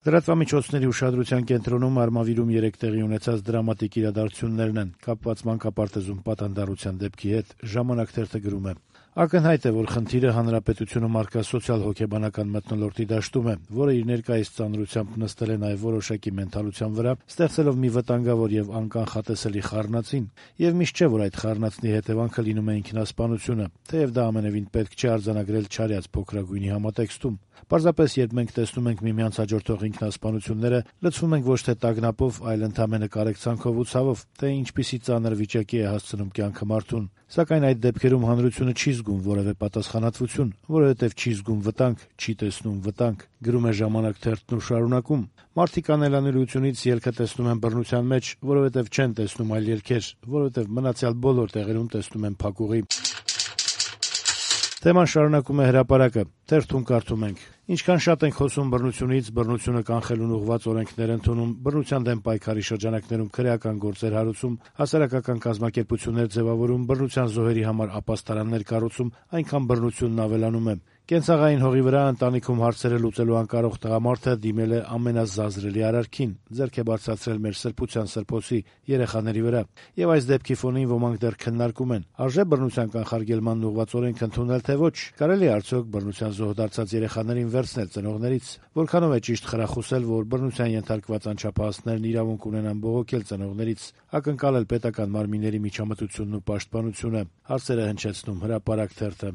Լրատվամիջոցների ուշադրության կենտրոնում Արմավիրում 3 տեղի ունեցած դրամատիկ իրադարձություններն են, կապված մանկապարտեզում պատանդառության դեպքի հետ։ «Ժամանակ» թերթը գրում է. «Ակնհայտ է, որ խնդիրը հանրապետությունում առկա սոցիալ-հոգեբանական մթնոլորտի դաշտում է, որը իր ներկայիս ծանրությամբ նստել է նաև որոշակի մենթալության վրա, ստեղծելով մի վտանգավոր եւ անկանխատեսելի խառնածին, եւ միշտ չէ, որ այդ խառնածնի հետեւանքը լինում է ինքնասպանությունը, թեև դա ամենեւին պետք չէ արձանագրել չարյաց փոքրագույնի համատեքստում։ Պարզապես, երբ մենք տեսնում ենք միմյանց հաջորդող ինքնասպանությունները, լցվում ենք ոչ թե տագնապով, այլ ընդամենը կարեկցանքով ու ցավով, թե ինչպիսի ծանր վիճակի է հասցնում կյանքը մարդուն։ Սակայն այդ դեպքերում հանրությունը չի զգում որևէ պատասխանատվություն, որովհետև չի զգում վտանգ, չի տեսնում վտանգ», գրում է «Ժամանակ» թերթն ու շարունակում. «Մարդիկ անելանելիությունից ելքը տեսնում են բռնության մեջ, որովհետև չեն տեսնում այլ ելքեր, որովհետև մնացյալ բոլոր տեղերում տեսնում են փակուղի»։ Թեման շարունակում է «Հրապարակը»։ Թերթում կարդում ենք. «Ինչքան շատ ենք խոսում բռնությունից, բռնությունը կանխելուն ուղղված օրենքներ ընդունում, բռնության դեմ պայքարի շրջանակներում քրեական գործեր հարուցում, հասարակական կազմակերպություններ ձևավորում, բռնության զոհերի համար ապաստարաններ կառուցում, այնքան բռնությունն ավելանում է։ Կենցաղային հողի վրա ընտանիքում հարցերը լուծելու անկարող տղամարդը դիմել է ամենազազրելի արարքին, ձեռք է բարձրացրել մեր սրբության սրբոցի երեխաների վրա։ Եվ այս դեպքի ֆոնին ոմանք դեռ քննարկում են. արժե բռնության կանխարգելմանն ուղղված օրենք ընդունել, թե ոչ, կարելի է արդյոք բռնության զոհ դարձած երեխաներին վերցնել ծնողներից, որքանով է ճիշտ խրախուսել, որ բռնության ենթարկված անչափահասներն իրավունք ունենան բողոքել ծնողներից, ակնկալել պետական մարմինների միջամտությունն ու պաշտպանությունը», հարցերը հնչեցնում «Հրապարակ» թերթը։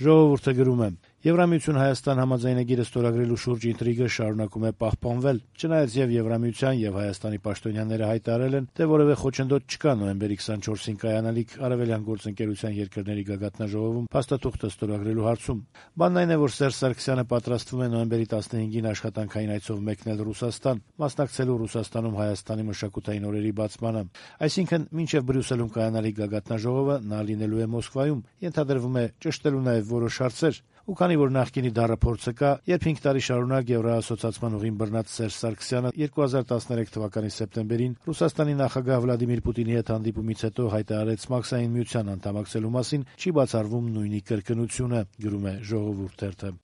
«Ժողովուրդ»-ը գրում է. «Եվրամիություն-Հայաստան համաձայնագիրը ստորագրելու շուրջ ինտրիգը շարունակում է պահպանվել, չնայած եւ Եվրամիության եւ Հայաստանի պաշտոնյաները հայտարարել են, թե որևէ խոչընդոտ չկա նոյեմբերի 24-ին կայանալիք Արևելյան գործընկերության երկրների գագաթնաժողովում փաստաթուղթը ստորագրելու հարցում։ Բանն այն է, որ Սերժ Սարգսյանը պատրաստվում է նոյեմբերի 15-ին աշխատանքային այցով մեկնել Ռուսաստան, մասնակցելու Ռուսաստանում Հայաստանի մշակութային օրերի բացմանը։ Այսինքն, մինչեւ Բրյուսելում կայանալիք գագաթնաժողովը նա լինելու է Մոսկվայում, ենթադրվում է ճշտելու նաեւ որոշ հարցեր։ Ու քանի որ նախկինի դառը փորձը կա, երբ 5 տարի շարունակ Եվրոասոցիացման ուղին բռնած Սերժ Սարգսյանը 2013 թվականի սեպտեմբերին Ռուսաստանի նախագահ Վլադիմիր Պուտինի հետ հանդիպումից հետո հայտարարեց Մաքսային միության անդամակցելու մասին, չի բացառվում նույնի կրկնությունը», գրում է «Ժողովուրդ» թերթը։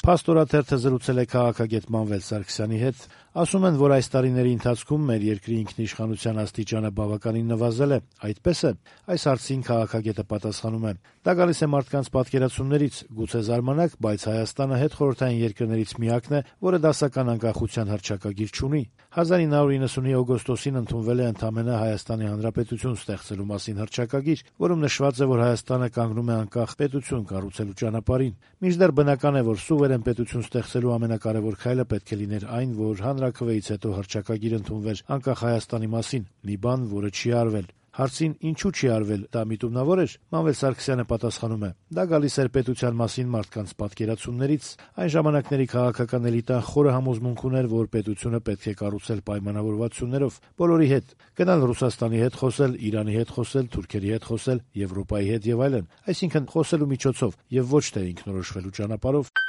«Փաստորը» թերթը զրուցել է քաղաքագետ Մանվել Սարգսյանի հետ։ Ասում են, որ այս տարիների ընթացքում մեր երկրի ինքնիշխանության աստիճանը բավականին նվազել է։ Այդպես է։ Այս հարցին քաղաքագետը պատասխանում է. «Դա գալիս է մարդկանց պատկերացումներից, գուցե զարմանաք, բայց Հայաստանը հետխորհրդային երկրներից միակն է, որը դասական անկախության հռչակագիր չունի։ 1990-ի օգոստոսին ընդունվել է ընդամենը Հայաստանի Հանրապետություն ստեղծելու մասին հռչակագիր, որում նշված է, որ Հայաստանը կանգնում է անկախ պետություն կառուցելու ճանապարհին։ Մինչդեռ բնական է, որ սուվերեն պետություն ստեղծելու ամենակարևոր քայլը պետք է լիներ այն, որ հանրաքվեից հետո հռչակագիր ընդունվեր անկախ Հայաստանի մասին, մի բան, որը չի արվել»։ Հարցին ինչու չի արվել, դա միտումնավոր էր, Մանվել Սարգսյանը պատասխանում է. «Դա գալիս էր պետության մասին մարդկանց պատկերացումներից։ Այն ժամանակների քաղաքական էլիտան խորը համոզմունք ուներ, որ պետությունը պետք է կառուցել պայմանավորվածություններով, բոլորի հետ, գնալ Ռուսաստանի հետ խոսել, Իրանի հետ խոսել, թուրքերի հետ խոսել, Եվրոպայի հետ եւ այլն, այսինքն խոսելու միջոցով եւ ոչ թե ինքնորոշվելու ճանապարհով»։